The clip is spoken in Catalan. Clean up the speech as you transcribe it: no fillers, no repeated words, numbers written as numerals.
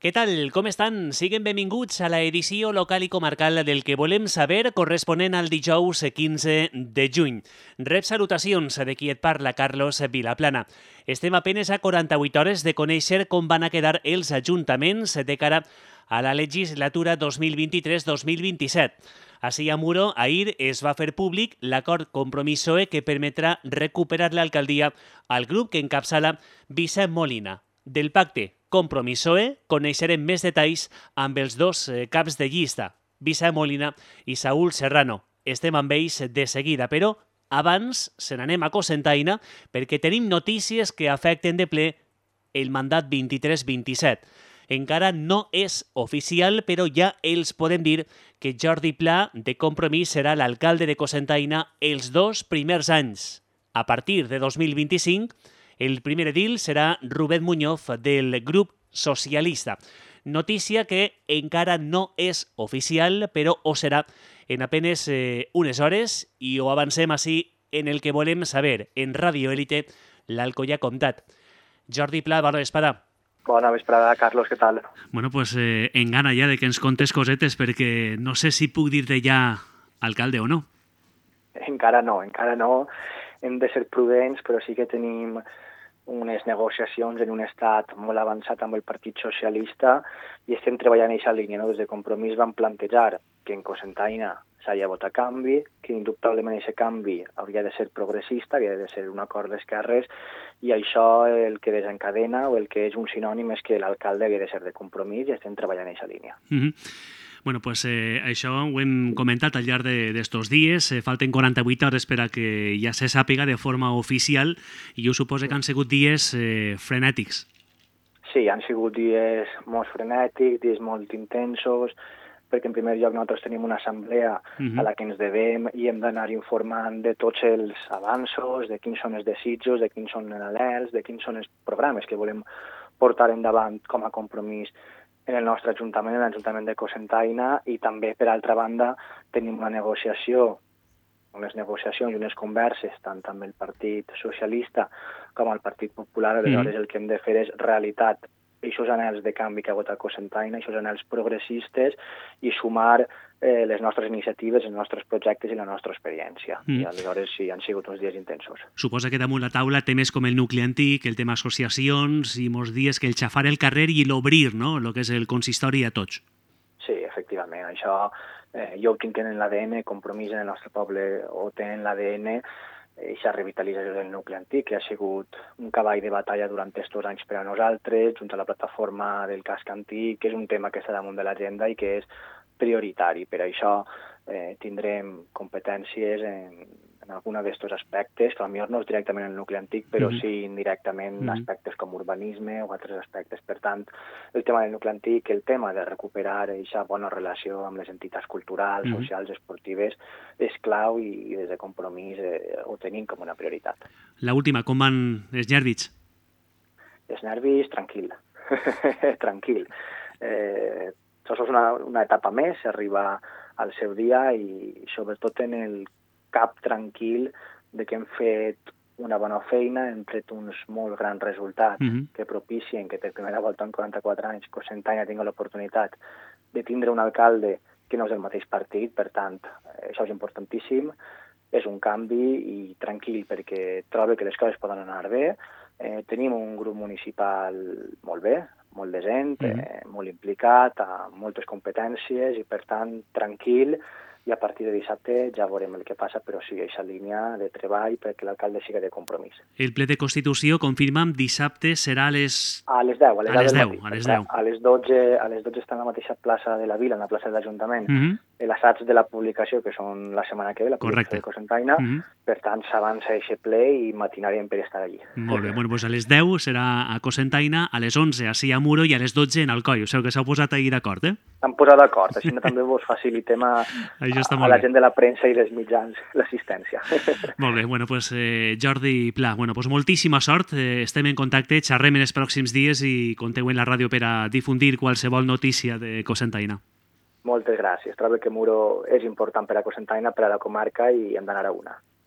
Què tal? Com estan? Siguen benvinguts a la edició local i comarcal del que volem saber corresponent al dijous 15 de juny. Rep salutacions de qui et parla, Carlos Vilaplana. Estem a penes a 48 hores de conèixer com van a quedar els ajuntaments de cara a la legislatura 2023-2027. Així a Muro, ahir es va fer públic l'acord Compromís-PSOE que permetrà recuperar l'alcaldia al grup que encapçala Vicent Molina. Del pacte Compromís-PSOE coneixerem més detalls amb els dos caps de llista, Vicent Molina i Saúl Serrano. Estem amb ells de seguida, però abans se n'anem a Cocentaina perquè tenim notícies que afecten de ple el mandat 23-27. Encara no és oficial, però ja els podem dir que Jordi Pla, de Compromís, serà l'alcalde de Cocentaina els 2 primers anys. A partir de 2025, el primer edil serà Rubén Muñoz, del grup socialista. Notícia que encara no és oficial, però ho serà en apenes unes hores i ho avancem així en el que volem saber. En Radio Élite, l'Alcoià Comtat. Jordi Pla, bona vesprada. Bona vesprada, Carlos, què tal? Bueno, pues en gana ja de que ens contes cosetes, perquè no sé si puc dir-te ja alcalde o no. Encara no. Hem de ser prudents, però sí que tenim unes negociacions en un estat molt avançat amb el Partit Socialista i estem treballant en aquesta línia. No? Des de Compromís vam plantejar que en Cocentaina s'hagi de votar canvi, que indubtablement aquest canvi hauria de ser progressista, havia de ser un acord d'esquerres, i això el que desencadena o el que és un sinònim és que l'alcalde havia de ser de Compromís i estem treballant en aquesta línia. Bueno, pues això ho hem comentat al llarg d'estos dies. Falten 48 hores per a que ja se sàpiga de forma oficial i jo suposo que han sigut dies frenètics. Sí, han sigut dies molt frenètics, dies molt intensos, perquè en primer lloc nosaltres tenim una assemblea a la que ens devem i hem d'anar informant de tots els avanços, de quins són els desitjos, de quins són els anhels, de quins són els programes que volem portar endavant com a Compromís en el nostre ajuntament, en l'Ajuntament de Cocentaina, i també, per altra banda, tenim una negociació, unes negociacions i unes converses tant amb el Partit Socialista com el Partit Popular. Aleshores, el que hem de fer és realitat aquests anhels de canvi que ha hagut a Cocentaina, aquests anhels progressistes, i sumar les nostres iniciatives, els nostres projectes i la nostra experiència. I aleshores sí, han sigut uns dies intensos. Suposa que damunt la taula temes com el nucli antic, el tema associacions, i molts dies que el xafar el carrer i l'obrir, no?, el que és el consistori a tots. Sí, efectivament. Això jo ho tinc en l'ADN, Compromís en el nostre poble ho té en l'ADN, aquesta revitalització del nucli antic, que ha sigut un cavall de batalla durant aquests anys per a nosaltres, junt a la plataforma del casc antic, que és un tema que està damunt de l'agenda i que és prioritari. Per això tindrem competències en alguna d'aquests aspectes, que potser no és directament el nucli antic, però sí indirectament aspectes com urbanisme o altres aspectes. Per tant, el tema del nucli antic, el tema de recuperar aquesta bona relació amb les entitats culturals, socials, esportives, és clau i des de Compromís ho tenim com una prioritat. La última, com van els nervis? Els nervis, tranquil. Tranquil. Això és una etapa més, s'arriba al seu dia i sobretot en el cap tranquil de que hem fet una bona feina, hem tret uns molt grans resultats que propicien que per primera volta en 44 anys Cocentaina tingui l'oportunitat de tindre un alcalde que no és del mateix partit, per tant, això és importantíssim, és un canvi i tranquil perquè trobo que les coses poden anar bé. Tenim un grup municipal molt bé, molt decent, molt implicat, amb moltes competències i, per tant, tranquil, i a partir de dissabte ja veurem el que passa, però sí, aquesta línia de treball perquè l'alcalde sigui de Compromís. El ple de Constitució, confirma'm, dissabte serà a les... A les 10. A les 10. A les 12 està en la mateixa plaça de la vila, en la plaça de l'Ajuntament, l'assaig de la publicació, que són la setmana que ve, la publicació de Cocentaina, per tant s'avança aquest ple i matinarem per estar allí. Molt bé, doncs a les 10 serà a Cocentaina, a les 11 a Muro i a les 12 en Alcoi. O sigui que s'heu posat ahir d'acord, eh? S'han posat d'acord, així també vos facilitem a la gent de la premsa i dels mitjans l'assistència. Molt bé, doncs Jordi Pla, doncs moltíssima sort, estem en contacte, xerrem en els pròxims dies i compteu en la ràdio per a difundir qualsevol notícia de Cocentaina. Moltes gràcies, trobo que Muro és important per a Cocentaina, per a la comarca i hem d'anar a una.